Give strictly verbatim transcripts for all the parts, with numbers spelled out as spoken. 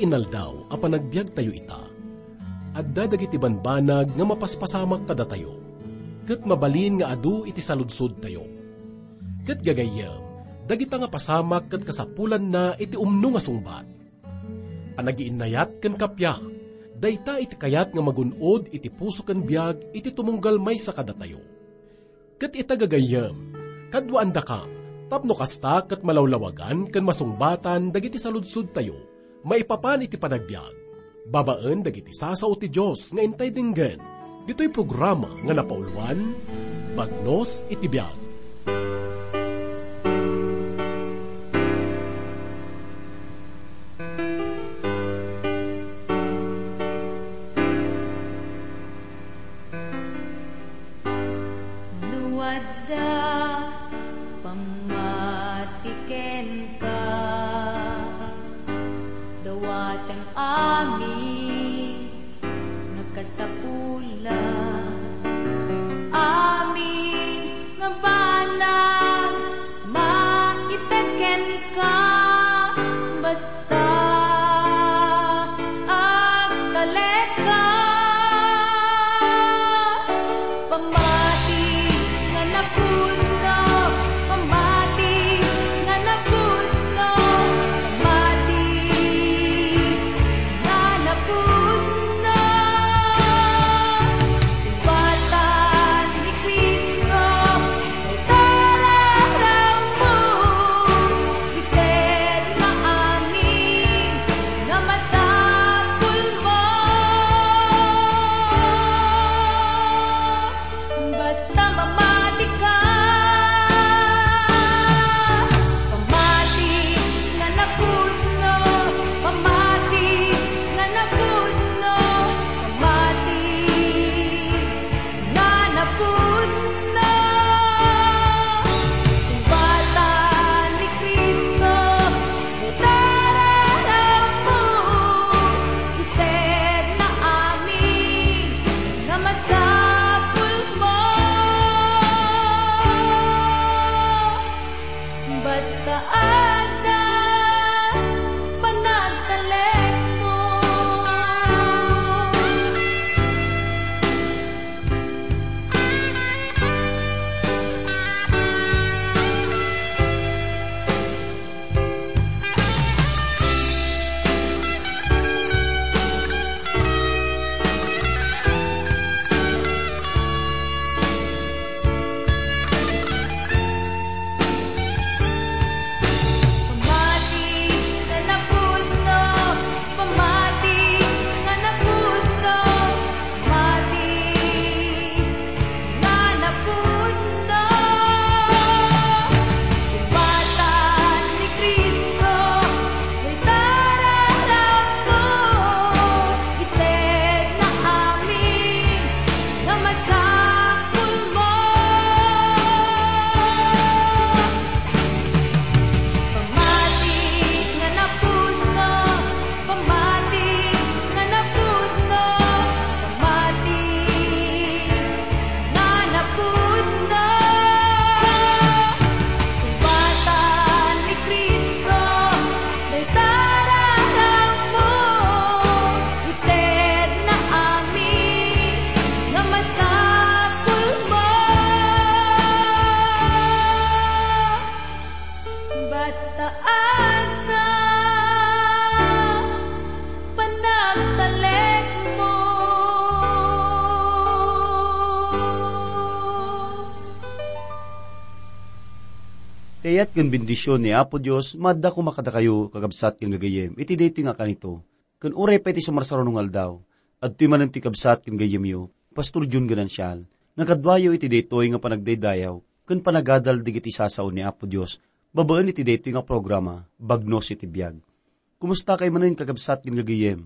Inaldaw a panagbiagtayo ita, adda dagiti banbanag nga mapaspasamak kadatayo, ket mabalin nga adu iti saludsodtayo. Ket gagayyem, dagita nga pasamak ket kasapulanna iti umno nga sungbat. Panagiinnayat ken kappia, dayta iti kayat nga magun-od iti puso ken biag iti tumunggal maysa kadatayo. Ket ita gagayyem, kaduaandakam, tapno kasta ket malawlawagan ken masungbatan dagiti saludsodtayo maipapan iti panagbiag, babaen dagiti sasao ti Dios nga intay denggen, ditoy programa nga napauluan, Bagnos iti Biag. No adda pammati kenka, dawatem amin nga kasapulan, amin nga banag maited kenka, basta agtalekka. Pammati nga napudno, pammati nga napudno, pammati nga napudno. Sungbatan ni Cristo, itararamo, ited nga amin nga masapulmo. Basta mamatika, pamati nga napudno, pamati nga napudno, pamati nga napudno. Sungbatan ni Cristo, itararamo, ited nga amin nga masapulmo. Basta adda panagtalekmo. Pamati nga napudno, pamati nga napudno, pamati nga napudno. Sungbatan ni Cristo, itararamo, ited nga amin nga masapulmo. Pamati nga napudno, pamati nga napudno, pamati nga napudno. Sungbatan ni Cristo, dayta raramo, ited nga amin nga masapulmo. Basta adda panagtalekmo. Ti ayat ken bendision ni Apo Dios maadda koma kadakayo, kakabsat ken gagayyem, iti daytoy nga kanito. Ken uray pay ti sumarsaruno nga aldaw, adtoy manen ti kabsat ken gayyemyo, Pastor Jun Ganancial, nga kaduayo iti daytoy nga panagdaydayaw ken panagadal dagiti sasao ni Apo Dios babaen iti daytoy nga programa, Bagnos iti Biag. Kumusta kay manen, kakabsat ken gagayyem?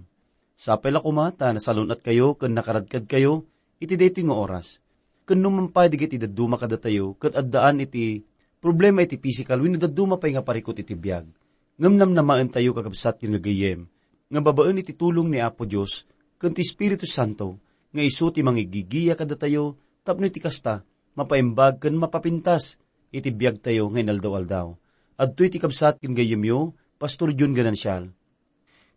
Sapay la koma ta nasalun-atkayo ken nakaradkadkayo iti daytoy nga oras. Ken no man pay dagiti dadduma kadatayo ket addaan iti problema iti pisikal wenno dadduma pay nga parikut iti biag, ngem namnamaentayo, kakabsat ken gagayyem, nga babaen iti tulong ni Apo Dios ken ti Espiritu Santo nga isu ti mangigigiya kadatayo tapno iti kasta, mapaimbag ken mapapintas iti biagtayo nga inaldaw-aldaw. Adtoy ti kabsat ken gayyemyo, Pastor Jun Ganancial.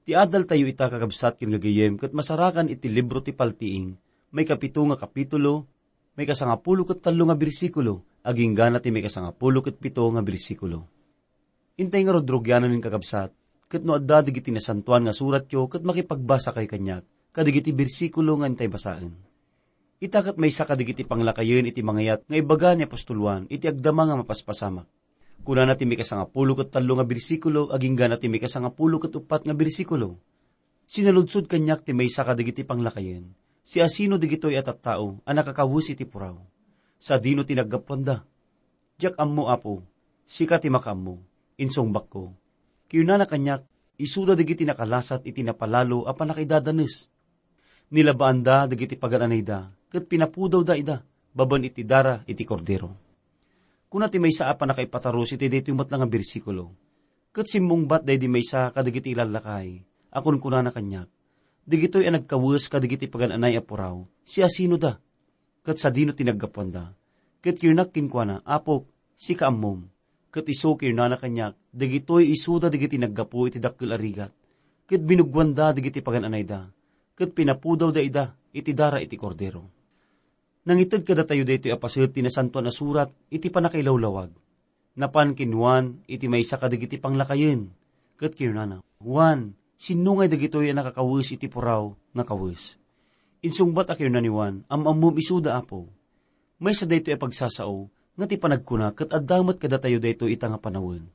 Ti adaltayo ita, kakabsat ken gagayem, ket masarakan iti libro ti Paltiing, maikapito nga kapitulo, maikasangapulo ket tallo nga bersikulo, agingga na ti maikasangapulo ket pito nga bersikulo. Intay ngarud rugianen, kakabsat, ket no adda dagiti nasantoan nga suratyo ket makipagbasakay kaniak kadagiti bersikulo nga intay basaen. Ita ket maysa kadagiti panglakayen iti mangayat nga ibaga ni apostol Juan iti agdama nga mapaspasamak. Kunana ti maikasangapulo ket tallo nga bersikulo agingga na ti maikasangapulo ket uppat nga bersikulo. Sinaludsod kaniak ti maysa kadagiti panglakayen, siasino dagitoy a tattao a nakakawes iti puraw, sadino ti naggapuanda. Diak ammo, Apo, sika ti makaammo, insungbakko. Kinunana kaniak, isuda dagiti nakalasat iti napalalo a pannakaidadanes. Nilabaanda dagiti pagan-anayda, ket pinapudawda ida babaen iti dara iti Kordero. Kuna ti maysa a pannakaipatarus iti daytoy met nga bersikulo, ket simmungbat daydi maysa kadagiti lallakay a kunkunana kaniak, dagitoy a nagkawes kadagiti pagan-anay a puraw, siasinoda? Ket sadino ti naggapuanda? Ket kinak kenkuana, Apok, sika ammom. Ket isu kinunana kaniak, dagitoy isuda dagiti naggapu iti dakkel a rigat, ket binuggoanda dagiti pagan-anayda, ket pinapudawda ida iti dara iti Kordero. Nangited kadatayo daytoy a paset ti Nasantoan a Surat iti pannakailawlawag. Napan ken Juan iti maysa kadagiti panglakayen, ket kinunana, Juan, sinno ngay dagitoy a nakakawes iti puraw nga kawes? Insungbat a kinuna ni Juan, Am-ammom isuda, Apo. Maysa daytoy a pagsasao nga ti panagkuna ket adda met kadatayo daytoy ita nga panawen.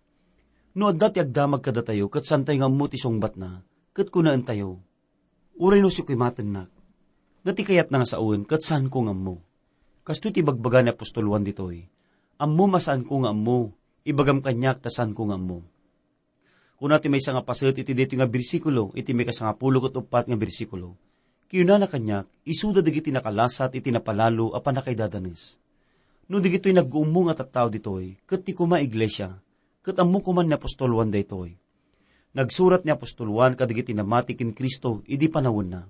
No adda ti agdamag kadatayo ket saantay nga ammo ti sungbatna, ket kunaentayo, Uray no siak ti matennak, nga ti kayatna nga sawen ket saanko nga ammo. Kastoy ti ibagbaga ni apostol Juan ditoy, Ammom a saanko nga ammo, ibagam kaniak ta saanko nga ammo. Kuna ti maysa nga paset iti daytoy nga bersikulo, iti maikasangapulo ket uppat nga bersikulo, kinunana kaniak, isuda dagiti nakalasat iti napalalo a pannakaidadanes. No dagitoy nagguummo nga tattao ditoy, ket ti koma iglesia, ket ammo koma ni apostol Juan daytoy. Nagsurat ni apostol Juan kadagiti namati ken Cristo idi panawenna.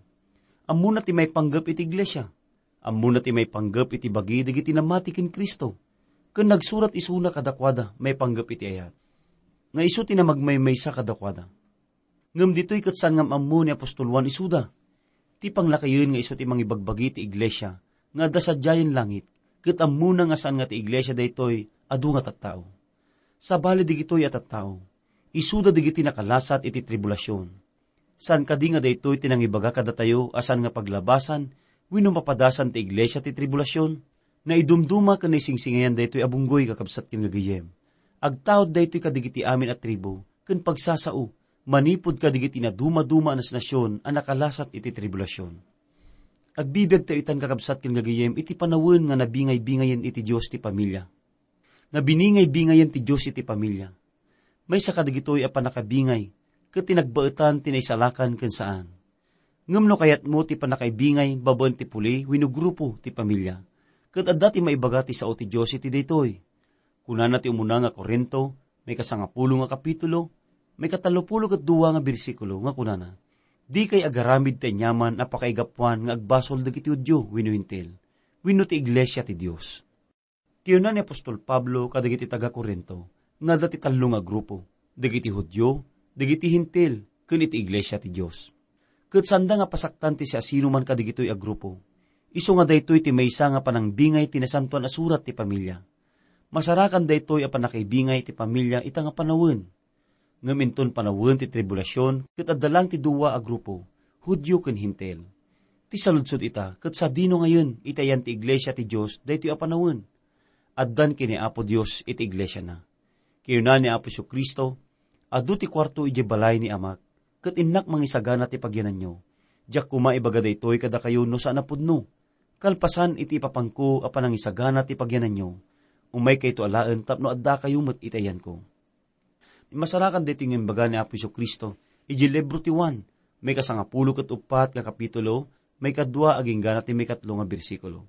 Ammona ti maipanggep iti iglesia. Ammona ti maipanggep iti bagi dagiti namati ken Cristo. Ken nagsurat isuna kadakuada maipanggep iti ayat, nga isu ti namagmaymaysa kadakuada. Ngem ditoy ket saan nga am-ammo ni apostol Juan isuda. Ti panglakayen nga isu ti mangibagbagi ti iglesia nga adda sadiayen langit, ket ammona nga saan nga ti iglesia daytoy adu nga tattao. Sabali dagitoy a tattao, isuda dagiti nakalasat iti tribulasion. Saan kadi nga daytoy ti nangibaga kadatayo a saan nga paglabasan wenno mapadasan ti iglesia ti tribulasion? Naidumduma ken naisingsingayan daytoy a bunggoy, kakabsat ken gagayem. Agtaud daytoy kadagiti amin a tribu ken pagsasao manipud kadagiti nadumaduma a nasnasion a nakalasat iti tribulasion. Agbibiagtayo itan, kakabsat ken gagayem, iti panawen nga nabingay-bingayen iti Dios ti pamilia. Nga biningay-bingayen ti Dios iti pamilia. Maysa kadagitoy a pannakabingay ket ti nagbaetan ti naisalakan ken saan. Ngem no kayatmo ti pannakaibingay babaen ti puli wenno grupo ti pamilia, ket adda ti maibaga ti sao ti Dios iti daytoy. Kunana ti umuna nga Corinto, maikasangapulo nga kapitulo, maikatallopulo ket dua nga bersikulo nga kunana, Dikay agaramid ti aniaman a pakaigapuan nga agbasol dagiti Judio wenno Hentil, wenno ti iglesia ti Dios. Kinuna ni apostol Pablo kadagiti taga-Corinto nga adda ti tallo nga grupo, dagiti Judio, dagiti Hentil, ken iti iglesia ti Dios. Ket saanda nga pasaktan ti siasinoman kadagitoy a grupo, isu nga daytoy ti maysa nga panangbingay ti Nasantoan a Surat ti pamilia. Masarakan daytoy a pannakaibingay ti pamilia ita nga panawen. Ngem inton panawen ti tribulasion, ket adda laeng ti dua a grupo, Judio ken Hentil. Ti saludsod ita, ket sadino ngayen iti ayan ti iglesia ti Dios daytoy a panawen? Addan ken ni Apo Dios iti iglesiana. Kinuna ni Apo Jesu-Cristo, Adu ti kuarto idiay balay ni Amak, ket innak mangisagana ti pagyananyo. Diak koma ibaga daytoy kadakayo no saan a pudno. Kalpasan iti ipapanko a panangisagana ti pagyananyo, umaykayto alaen tapno addakayo met iti ayanko. Masarakan daytoy nga imbaga ni Apo Jesu-Cristo idiay libro ti Juan, maikasangapulo ket uppat nga kapitulo, maikadua agingga na ti maikatlo nga bersikulo.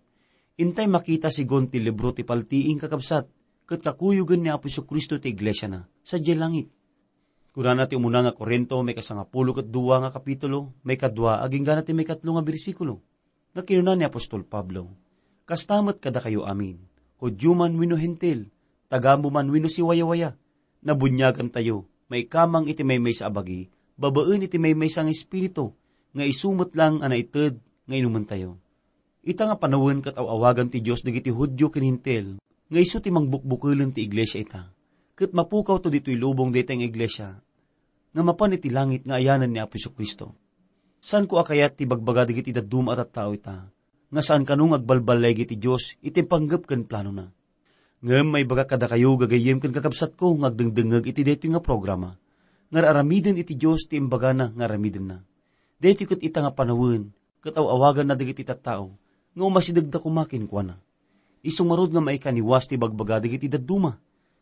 Intay makita segun ti libro ti Paltiing, kakabsat, ket kakuyogen ni Apo Jesu-Cristo ti iglesiana sadiay langit. Kunana ti umuna nga Corinto, maikasangapulo ket dua nga kapitulo, maikadua agingga na ti maikatlo nga bersikulo, nga kinuna ni apostol Pablo, Kasta met kadakayo amin, Judio man wenno Hentil, tagamo man wenno siwayawaya, nabuniagantayo maikamang iti maymaysa a bagi babaen iti maymaysa nga Espiritu, nga isu met lang a naited nga inumentayo. Ita nga panawen ket aw-awagan ti Dios dagiti Judio ken Hentil, nga isu ti mangbukbukelen ti iglesia ita. Ket mapukawto ditoy lubong dayta nga iglesia, nga mapan iti langit nga ayanen ni Apo Jesu-Cristo. Saanko a kayat ti bagbaga dagiti dadduma a tattao ita, nga saan kano nga agbalballay iti Dios iti panggep ken planona. Ngem maibagak kadakayo, gagayyem ken kakabsatko nga agdengdengngeg iti daytoy nga programa, nga ar-aramiden iti Dios ti imbagana nga aramidenna. Daytoy ket ita nga panawen ket aw-awaganna dagiti tattao nga umasidegda koma kenkuana. Isu ngarud nga maikaniwas ti bagbaga dagiti dadduma,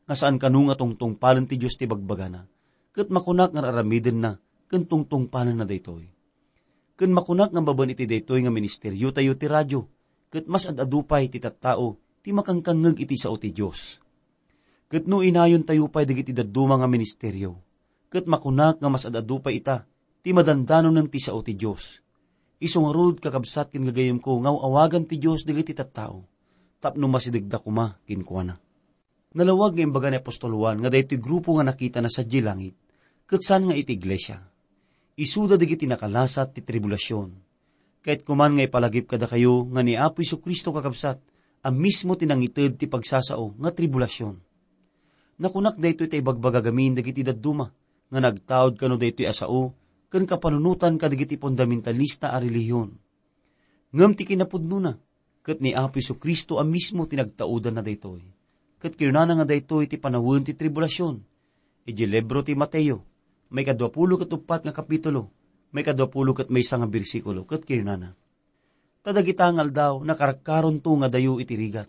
nga saan kano nga tungtungpalen ti Dios ti bagbagana, ket makunak nga ar-aramidenna ken tungtungpalenna daytoy. Ken makunak nga babaen iti daytoy nga ministeriotayo ti radio, ket mas ad-adu pay ti tattao ti makankangngeg iti sao ti Dios. Ket no inayontayo pay dagiti dadduma nga ministerio, ket makunak nga mas ad-adu pay ita ti madandanonen ti sao ti Dios. Isu ngarud, kakabsat ken gagayyemko, nga aw-awagan ti Dios dagiti tattao tapno masidegda koma kenkuana. Nalawag nga imbaga ni apostol Juan nga daytoy grupo nga nakitana sadiay langit, ket saan nga iti iglesia. Isuda dagiti nakalasat ti tribulasion. Kayatko man nga ipalagip kadakayo nga ni Apo Jesu-Cristo, kakabsat, a mismo ti nangited ti pagsasao nga tribulasion. Nakunak daytoy ta ibagbaga gamin dagiti dadduma nga nagtaud kano daytoy a sao ken kapanunotan kadagiti fundamentalista a relihion. Ngem ti kinapudnona, ket ni Apo Jesu-Cristo a mismo ti nagtaudanna daytoy. Ket kinunana nga daytoy ti panawen ti tribulasion. Idiay libro ti Mateo, maikadua pulo ket uppat nga kapitulo, maikadua pulo ket maysa nga bersikulo, ket kinunana, "Ta dagita nga aldaw, nakarkaronto nga dayo iti rigat.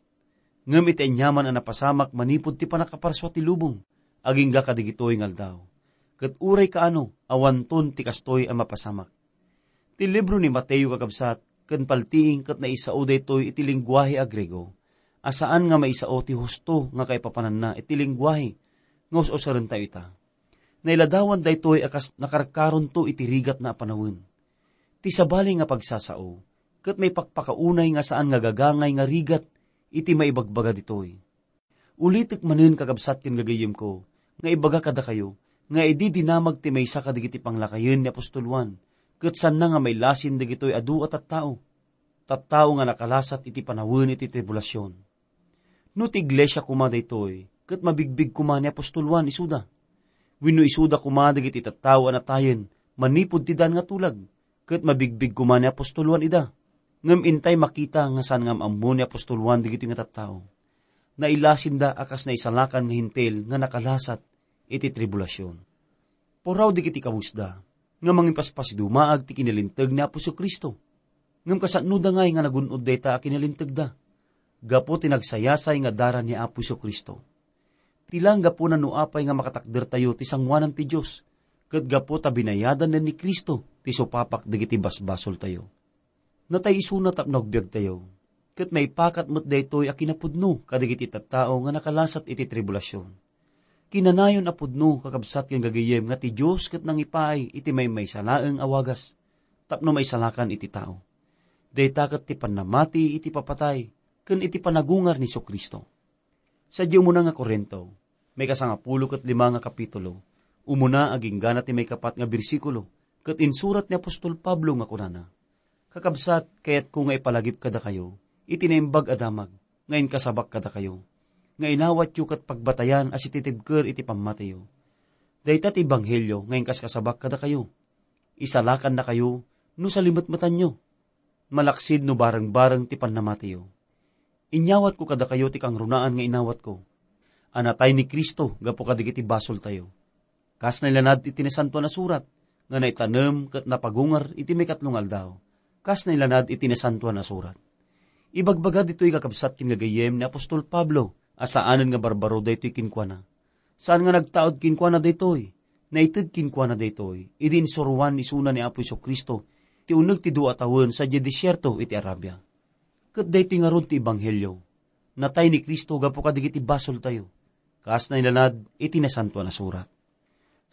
Ngem iti aniaman a napasamak manipud ti pannakaparsua ti lubong, agingga kadagitoy nga aldaw. Ket uray kaano, awanton ti kastoy a mapasamak." Ti libro ni Mateo, kakabsat, ken paltiing ket naisao daytoy iti lenguahe a Griego, a saan nga maisao ti husto nga kaipapananna iti lenguahe nga us-usarentayo ita. Nailadawan daytoy a kas nakarkaronto iti rigatna a panawen. Ti sabali nga pagsasao, ket maipakpakaunay nga saan nga gagangay nga rigat iti maibagbaga ditoy. Ulitek manen, kakabsat ken gagayyemko, nga ibaga kadakayo nga idi dinamag ti maysa kadagiti panglakayen ni apostol Juan, ket saanna nga mailasin dagitoy adu a tattao, tattao nga nakalasat iti panawen iti tribulasion. No ti iglesia koma daytoy, ket mabigbig koma ni apostol Juan isuda. Wenno isuda koma dagiti tattao a natayen manipud ti daan nga tulag, ket mabigbig koma ni apostol Juan ida. Ngem intay makita nga saan nga am-ammo ni apostol Juan dagitoy nga tattao. Nailasinda a kas naisalakan nga Hentil nga nakalasat iti tribulasion. Puraw dagiti kawesda nga mangipaspasidumaag ti kinalinteg ni Apo Jesu-Cristo. Ngem kasanoda ngay nga nagun-od dayta a kinalintegda? Gapu ti nagsayasay nga dara ni Apo Jesu-Cristo. Ti lang gapuna no apay nga makatakdertayo ti sangoanan ti Dios, ket gapu ta binayadan ni Cristo ti supapak dagiti basbasoltayo. Natay isuna tapno agbiagtayo, ket maipakat met daytoy a kinapudno kadagiti tattao nga nakalasat iti tribulasion. Kinanayon a pudno, kakabsat ken gagayyem, nga ti Dios ket nangipaay iti maymaysa laeng a wagas tapno maisalakan iti tao. Dayta ket ti pannamati iti papatay ken iti panagungar ni Jesu-Cristo. Sadiay umuna nga Corinto, maikasangapulo ket lima nga kapitulo, umuna agingga na ti maikapat nga bersikulo, ket insurat ni apostol Pablo nga kunana, "Kakabsat, kayatko nga ipalagip kadakayo iti naimbag a damag nga inkasabak kadakayo, nga inawatyo ket pagbatayan a sititibker iti pammatiyo. Dayta ti ebanghelio nga inkaskasabak kadakayo. Isalakannakayo no salimetmetanyo, malaksid no barengbareng ti pannamatiyo. Inyawatko kadakayo ti kangrunaan nga inawatko, a natay ni Cristo gapu kadagiti basoltayo, kas nailanad iti Nasantoan a Surat, nga naitanem ket napagungar iti maikatlo nga aldaw, kas nailanad iti Nasantoan a Surat." Ibagbaga ditoy, kakabsat ken gagayyem, ni apostol Pablo a saanen nga barbaro daytoy kenkuana. Saan nga nagtaud kenkuana daytoy. Naited kenkuana daytoy idi insuroan isuna ni Apo Jesu-Cristo ti uneg ti dua a tawen sadiay desierto iti Arabia. Ket daytoy ngarud ti ebanghelio. Natay ni Cristo gapu kadagiti basoltayo, kas nailanad iti Nasantoan a Surat.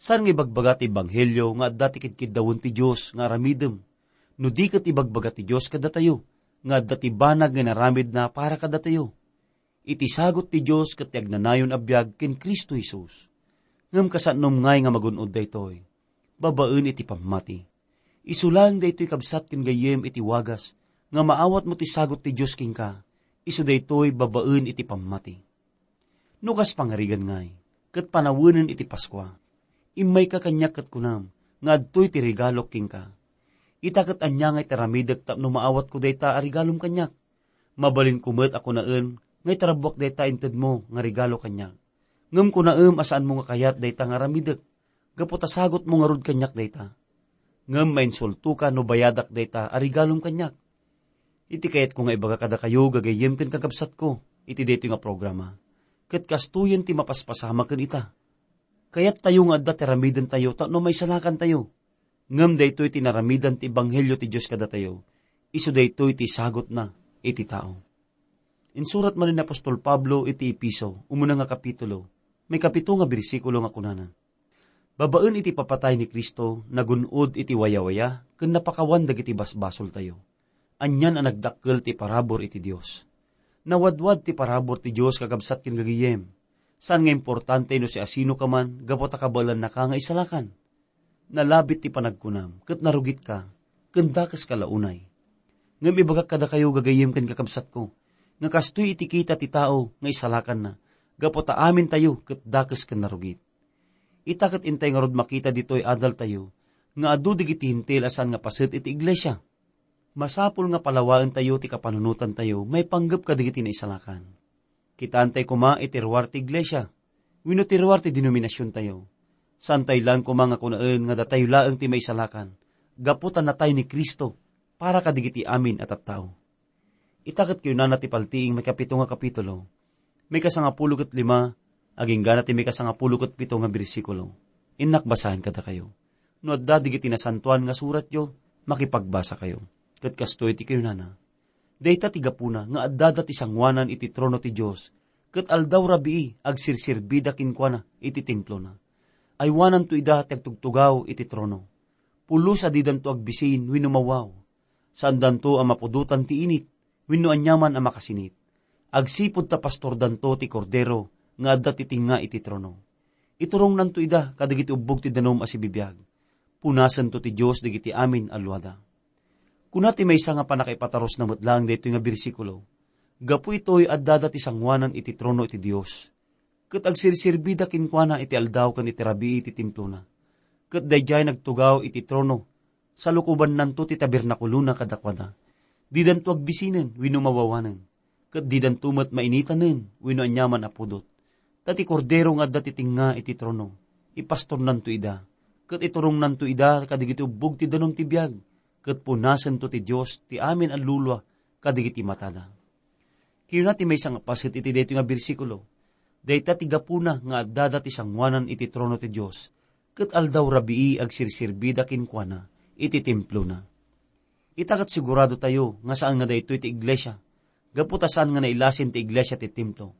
Saan nga ibagbaga ti ebanghelio nga adda ti kidkiddawen ti Dios nga aramidem, no di ket ibagbaga ti Dios kadatayo nga adda ti banag nga inaramidna para kadatayo. Iti sagut ti Dios ket ti agnanayon a biag ken Cristo Jesus. Ngem kasanom ngay nga magun-od daytoy. babaen iti pammati. Isu laeng daytoy, kabsat ken gayyem, iti wagas nga maawatmo ti sagut ti Dios kenka, isu daytoy babaen iti pammati. No kas pangarigan ngay, ket panawenen iti Paskua, immayka kaniak ket kunam nga adtoy ti regalok kenka. Ita ket ania ngay ti aramidek tapno maawatko dayta a regalom kaniak? Mabalinko met a kunaen nga itarabbuak dayta intedmo nga regalo kaniak. Ngem kunaem a saanmo nga kayat dayta nga aramidek, gapu ta sagutmo ngarud kaniak dayta. Ngem mainsultoka no bayadak dayta a regalom kaniak. Iti kayatko nga ibaga kadakayo, gagayyem ken kakabsatko, iti daytoy nga programa, ket kastoyen ti mapaspasama ken ita. Kayattayo nga adda ti aramidentayo tapno maisalakantayo. Ngem daytoy ti naramidan ti ebanghelio ti Dios kadatayo. Isu daytoy ti sagutna iti tao. Insurat manen ni apostol Pablo iti Efeso, umuna nga kapitulo, maikapito nga bersikulo nga kunana, "Babaen iti papatay ni Cristo, nagun-od iti wayawaya ken napakawan dagiti basbasoltayo. Anian a nagdakkel ti parabur iti Dios." Nawadwad ti parabur ti Dios, kakabsat ken gagayem. Saan nga importante no siasinoka man gapu ta kabaelannaka nga isalakan. Nalabit ti panagkunam, ket narugitka, ken dakeska la unay. Ngem ibagak kadakayo, gagayem ken kakabsatko, nga kastoy iti kita ti tao nga isalakanna, gapu ta amintayo ket dakes ken narugit. Ita ket intay ngarud makita ditoy adaltayo nga adu dagiti Hentil a saan nga paset iti iglesia. Masapul nga palawaentayo ti kapanunotantayo maipanggep kadagiti naisalakan. Kitaentay koma iti ruar ti iglesia wenno ti ruar ti denominasiontayo. Saantayo laeng koma nga kunaen nga datayo laeng ti maisalakan gapu ta natay ni Cristo para kadagiti amin a tattao. Ita ket kiunana ti Paltiing maikapito nga kapitulo, maikasangapulo ket lima, agingga na ti maikasangapulo ket pito nga bersikulo. Innak basaen kadakayo. No adda dagiti nasantoan nga suratyo, makipagbasakayo. Ket kastoy ti kiunana, "Dayta ti gapuna nga addada ti sangoanan iti trono ti Dios, ket aldaw rabii agsirsirbida kenkuana iti templona. Aywananto ida ti agtugtugaw iti trono. Pulos a didanto agbisin wenno mawaw. Saandanto a mapudotan ti init wenno aniaman a makasinit. Agsipud ta pastordanto ti Kordero nga adda ti tengnga iti trono. Iturongnanto ida kadagiti ubbog ti danum a sibibiag. Punasento ti Dios dagiti amin a luada." Kuna ti maysa nga pannakaipatarusna met laeng daytoy nga bersikulo, "Gapu itoy, addada ti sangoanan iti trono iti Dios, ket agsirsirbida kenkuana iti aldaw ken iti rabii iti templona. Ket daydiay nagtugaw iti trono, salukobannanto ti tabernakulona kadakuada. Didanto agbisinen wenno mawawanen, ket didanto met mainitanen wenno aniaman a pudot. Ta ti Kordero nga adda ti tengnga iti trono, ipastornanto ida, ket iturongnanto ida kadagiti ubbog ti danum ti biag, ket punasento ti Dios ti amin a lulua kadagiti matada." Kinuna ti maysa nga paset iti daytoy nga bersikulo, "Dayta ti gapuna nga addada ti sangoanan iti trono ti Dios, ket aldaw rabii agsirsirbida kenkuana iti templona." Ita ket siguradotayo nga saan nga daytoy ti iglesia, gapu ta saan nga nailasin ti iglesia ti templo.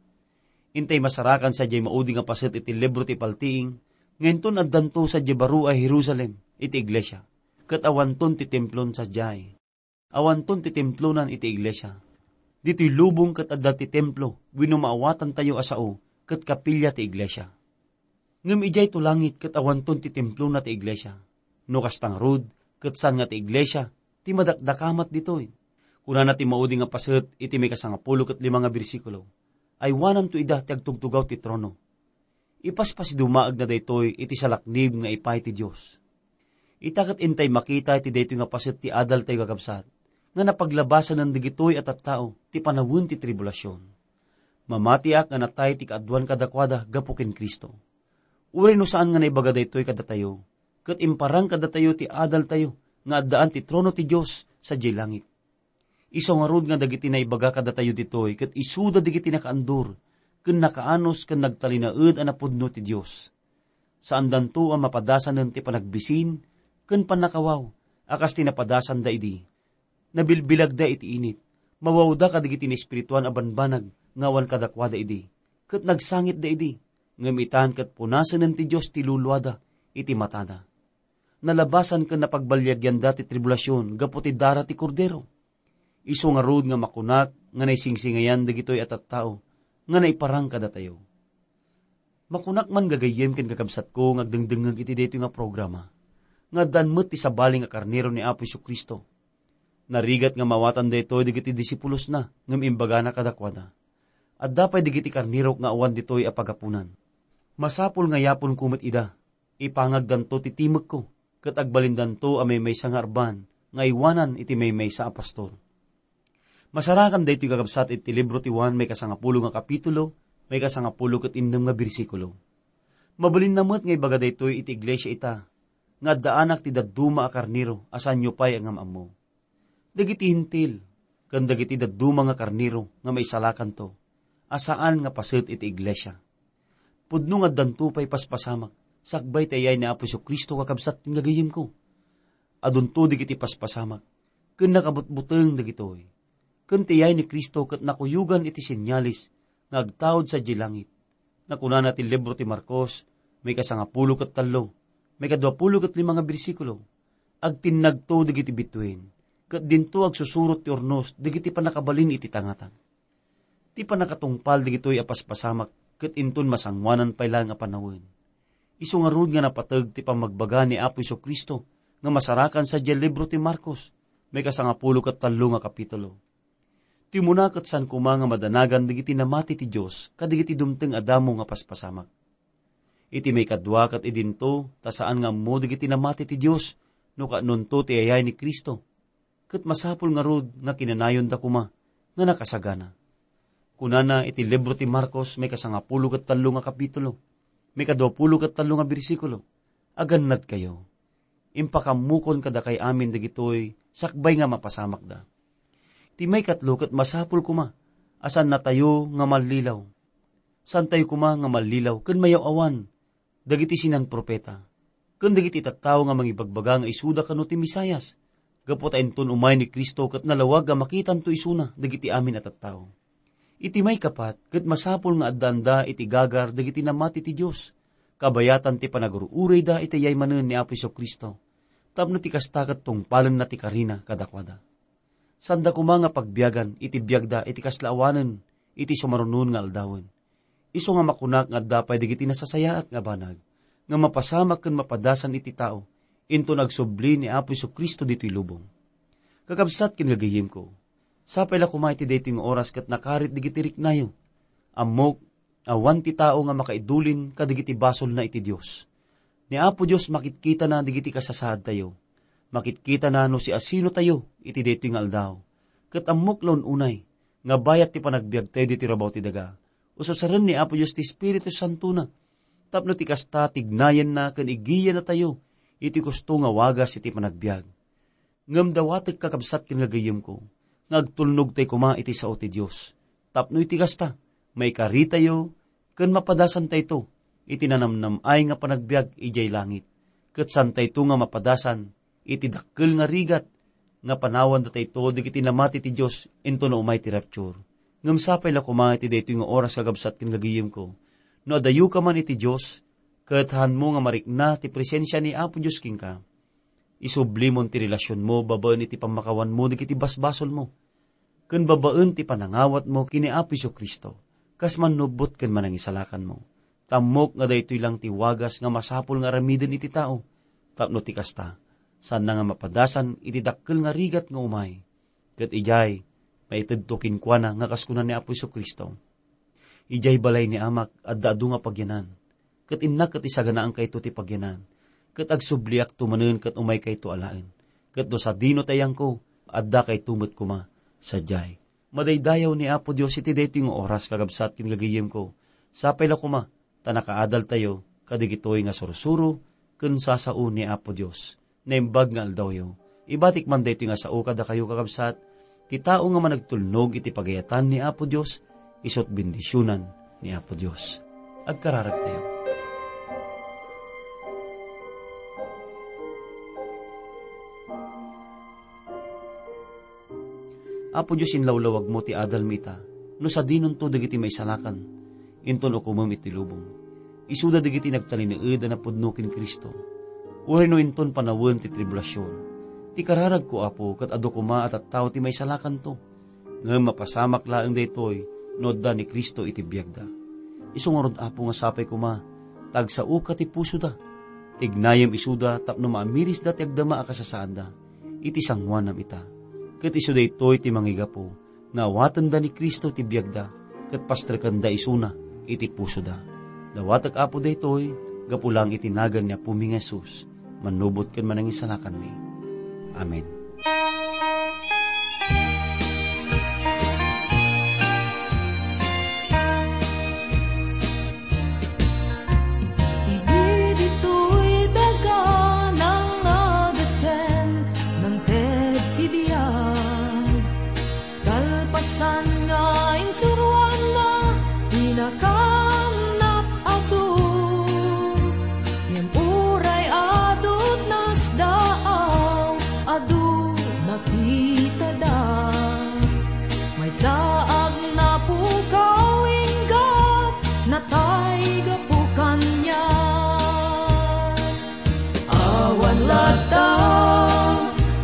Intay masarakan sadiay maudi nga paset iti libro ti Paltiing, nga inton addanto sadiay baro a Jerusalem iti iglesia, ket awanton ti templon sadiay. Awanton ti templonan iti iglesia. Ditoy lubong ket adda ti templo wenno maawatantayo a sao ket kapilia ti iglesia. Ngem idiay to langit ket awanton ti templona ti iglesia. No kasta ngarud, ket saan nga ti iglesia ti madakdakamat ditoy. Kunana ti maudi nga paset iti maikasangapulo ket lima nga bersikulo, "Aywananto ida ti agtugtugaw ti trono." Ipaspasidumaagna daytoy iti salaknib nga ipay ti Dios. Ita ket intay makita iti daytoy nga paset ti adaltayo, kakabsat, nga napaglabasanen dagitoy a tattao ti panawen ti tribulasion. Mamatiak nga natay ti kaaduan kadakuada gapu ken Cristo. Uray no saan nga naibaga daytoy kadatayo, ket imparang kadatayo ti adaltayo nga addaan ti trono ti Dios sadiay langit. Isu ngarud nga dagiti naibaga kadatayo ditoy ket isuda dagiti nakaandur ken nakaanus ken nagtalinaed a napudno ti Dios. Saandanto a mapadasanen ti panagbisin ken pannakawaw a kas ti napadasanda idi. Nabilbilagda iti init, mawawda kadagiti naespirituan a banbanag nga awan kadakuada idi, ket nagsangitda idi, ngem itan ket punasennen ti Dios ti luluada iti matada. Nalabasan ken napagbaliagianda ti tribulasion gapu ti dara ti Kordero. Isu ngarud nga makunak nga naisingsingayan dagitoy a tattao nga naiparang kadatayo. Makunak man, gagayyem ken kakabsatko nga agdengdengngeg iti daytoy nga programa, nga addaan met ti sabali nga karnero ni Apo Jesu-Cristo. Narigat nga maawatan daytoy dagiti disipulosna, ngem imbagana kadakuada, "Adda pay dagiti karnerok nga awan ditoy a pagapunan. Masapul nga yaponko met ida. Ipangagdanto ti timekko, ket agbalindanto a maymaysa nga arban nga aywanan iti maymaysa a pastor." Masarakan daytoy, kakabsat, iti libro ti Juan, maikasangapulo nga kapitulo, maikasangapulo ket innem nga bersikulo. Mabalinna met nga ibaga daytoy iti iglesia ita, nga addaanak ti dadduma a karnero a saanyo pay a ngam-ammo. Dagiti Hentil ken dagiti dadduma nga karnero nga maisalakanto a saan nga paset iti iglesia. Pudno nga addanto pay paspasamak sakbay ti ayay ni Apo Jesu-Cristo, kakabsat ken gagayyemko. Adunto dagiti paspasamak ken nakabutbuteng dagitoy. Ken ti ayay ni Cristo ket nakuyogan iti senyales nga agtaud sadiay langit. Nakunana ti libro ti Marcos, maikasangapulo ket tallo, maikaduapulo ket lima nga bersikulo, "Agtinnagto dagiti bituen, ket dinto agsusurot ti urnos dagiti pannakabalin iti tangatang." Ti pannakatungpal dagitoy a paspasamak ket inton masangoanan pay laeng a panawen. Isu ngarud nga napateg ti pammagbaga ni Apo Jesu-Cristo nga masarakan sadiay libro ti Marcos, maikasangapulo ket tallo nga kapitulo. Ti umuna ket saan koma nga madanagan dagiti namati ti Dios kadagiti dumteng a damo nga paspasamak. Iti maikadua ket idinto, ta saan nga ammo dagiti namati ti Dios no kaanonto ti ayay ni Cristo, ket masapul ngarud nga kinanayonda koma nga nakasagana. Kunana iti libro ti Marcos, maikasangapulo ket tallo nga kapitulo, maikaduapulo ket tallo nga bersikulo, "Agannadkayo. Impakammokon kadakay amin dagitoy sakbay nga mapasamakda." Ti maikatlo ket masapul koma a saannatayo nga mallilaw. Saantayo koma nga mallilaw ken mayaw-awan dagiti sinan-profeta ken dagiti tattao nga mangibagbaga nga isuda kano ti Mesias, gapu ta inton umay ni Cristo ket nalawag a makitanto isuna dagiti amin a tattao. Iti maikapat, ket masapul nga addaanda iti gagar dagiti namati ti Dios, kabayatan ti panagur-urayda iti ayay manen ni Apo Jesu-Cristo, tapno ti kasta ket tungpalenna ti karina kadakuada. Saanda koma nga pagbiagan iti biagda iti kasla awanen iti sumarunon nga aldawen. Isu nga makunak nga adda pay dagiti nasasayaat nga banag nga mapasamak ken mapadasan iti tao inton agsubli ni Apo Jesu-Cristo ditoy lubong. Kakabsat ken gagayyemko, sapay la koma iti daytoy nga oras ket nakarit dagiti riknayo. Ammok, awan ti tao nga makaidulin kadagiti basolna iti Dios. Ni Apo Dios makitkitana dagiti kasasaadtayo. Makitkitana no siasinotayo iti daytoy nga aldaw. Ket ammok la un-unay nga bayat ti panagbiagtayo ditoy rabaw ti daga, ususaren ni Apo Dios ti Espiritu Santona, tapno ti kasta tignayenna ken igiyannatayo iti kusto nga wagas iti panagbiag. Ngem dawatek, kakabsat ken gagayyemko, nga agtulnogtay koma iti sao ti Dios, tapno iti kasta, maikaritayo ken mapadasantayto iti nanamnam-ay nga panagbiag idiay langit, ket saantayto nga mapadasan iti dakkel nga rigat nga panawandatayto dagiti namati ti Dios intono umay ti rapture. Ngem sapay la koma iti daytoy nga oras, kakabsat ken gagayyemko, no adayoka man iti Dios, ket haanmo nga marikna ti presensia ni Apo Dios kenka. Isublimon ti relasionmo babaen iti pammakawanmo dagiti basbasolmo, ken babaen ti panangawatmo ken ni Apo Jesu-Cristo, kas mannubbot ken manangisalakanmo. Tammok nga daytoy lang ti wagas nga masapul nga aramiden iti tao, tapno ti kasta, saanna nga mapadasan iti dakkel nga rigat nga umay. Ket idiay, maitedto kenkuana nga kas kuna ni Apo Jesu-Cristo, "Idiay balay ni Amak, adda adu nga pagyanan, ket innak ket isaganaankayto ti pagyanan, ket agsubliakto manen ket umaykayto alaen. Ket no sadino ti ayanko, addakayto met koma sadiay." Madaydayaw ni Apo Dios iti daytoy nga oras, kakabsat ken gagayyemko. Sapay la koma ta nakaadaltayo kadagitoy nga sursuro ken sasao ni Apo Dios. Naimbag nga aldawyo. Ibatik man daytoy nga sao kadakayo, kakabsat, ti tao nga managtulnog iti pagayatan ni Apo Dios, isut' bendisionan ni Apo Dios. Agkararagtayo. Apo Dios, inlawlawagmo ti adalmi ita, no sadinonto dagiti maisalakan, inton ukomem iti lubong. Isuda dagiti nagtalinaed a napudno ken Cristo, uray no inton panawen ti tribulasion. Ti kararagko, Apo, ket adu koma a tattao ti maisalakanto. Ngem mapasamak laeng daytoy no adda ni Cristo iti biagda. Isu ngarud, Apo, nga sapay koma ta agsaoka ti pusoda. Tignayem isuda tapno maamirisda ti agdama a kasasaadda iti sangoanam ita. Ket isu daytoy ti mangigapu nga awatenda ni Cristo ti biagda ket pastrekenda isuna iti pusoda. Dawatek, Apo, daytoy gapu laeng iti nagan ni Apomi nga Jesus, mannubot ken manangisalakanmi. Amen. Idi ditoy daga nangagasken, nangted ti biag. Kalpasan nga insuroanna, pinakaamnak adu. Ngem uray adu ti nasdaaw, adu nakitada. Maysa a napukaw, inggat natay gapu kaniak. Awan latta,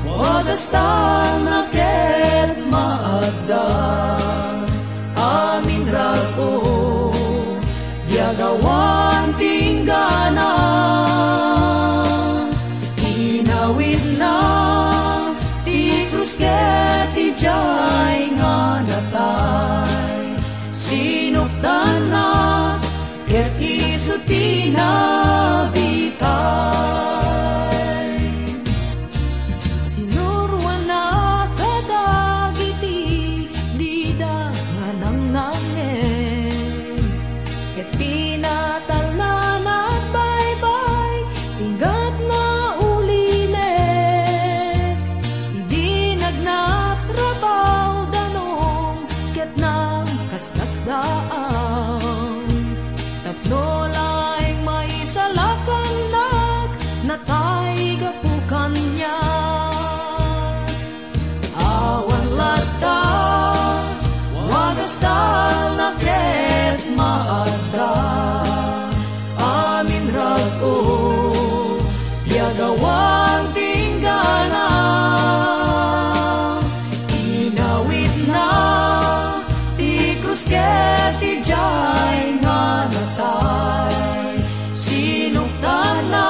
wagastan a ket maadda. Amin rago, biag awan ti inggana. Inawidna ti krus ket idiay nga natay. Sinukdanna ket isu ti nabitay. Sinuroanna kadagiti dida nga nangnangngen, ket pinatalna nagbaybay, inggana ulimek. Idi nagnatrabaw danum, ket nagkasdaaw. Tapno laeng maisalakannak, natay gapu kaniak. Awan latta, wagastan a ket maadda. Amin rago, biag awan ti inggana. Inawidna ti krus ket idiay nga natay. Sinukdanna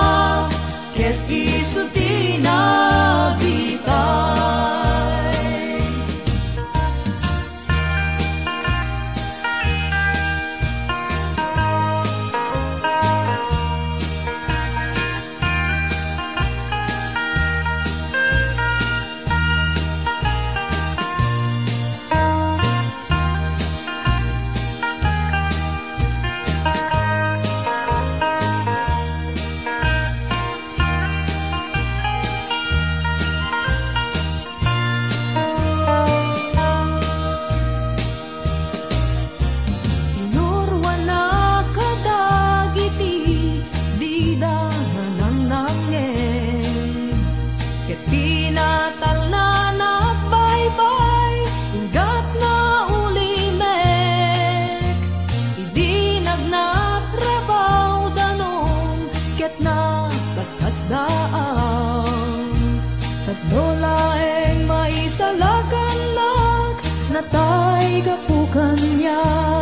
ket isu ti nabitay. Sinuroanna kadagiti dida nga nangnangngen, ket pinatalna nagbaybay, inggana ulimek. Idi nagnatrabaw danum, ket nagkasdaaw. Tapno laeng maisalakannak, natay gapu kaniak.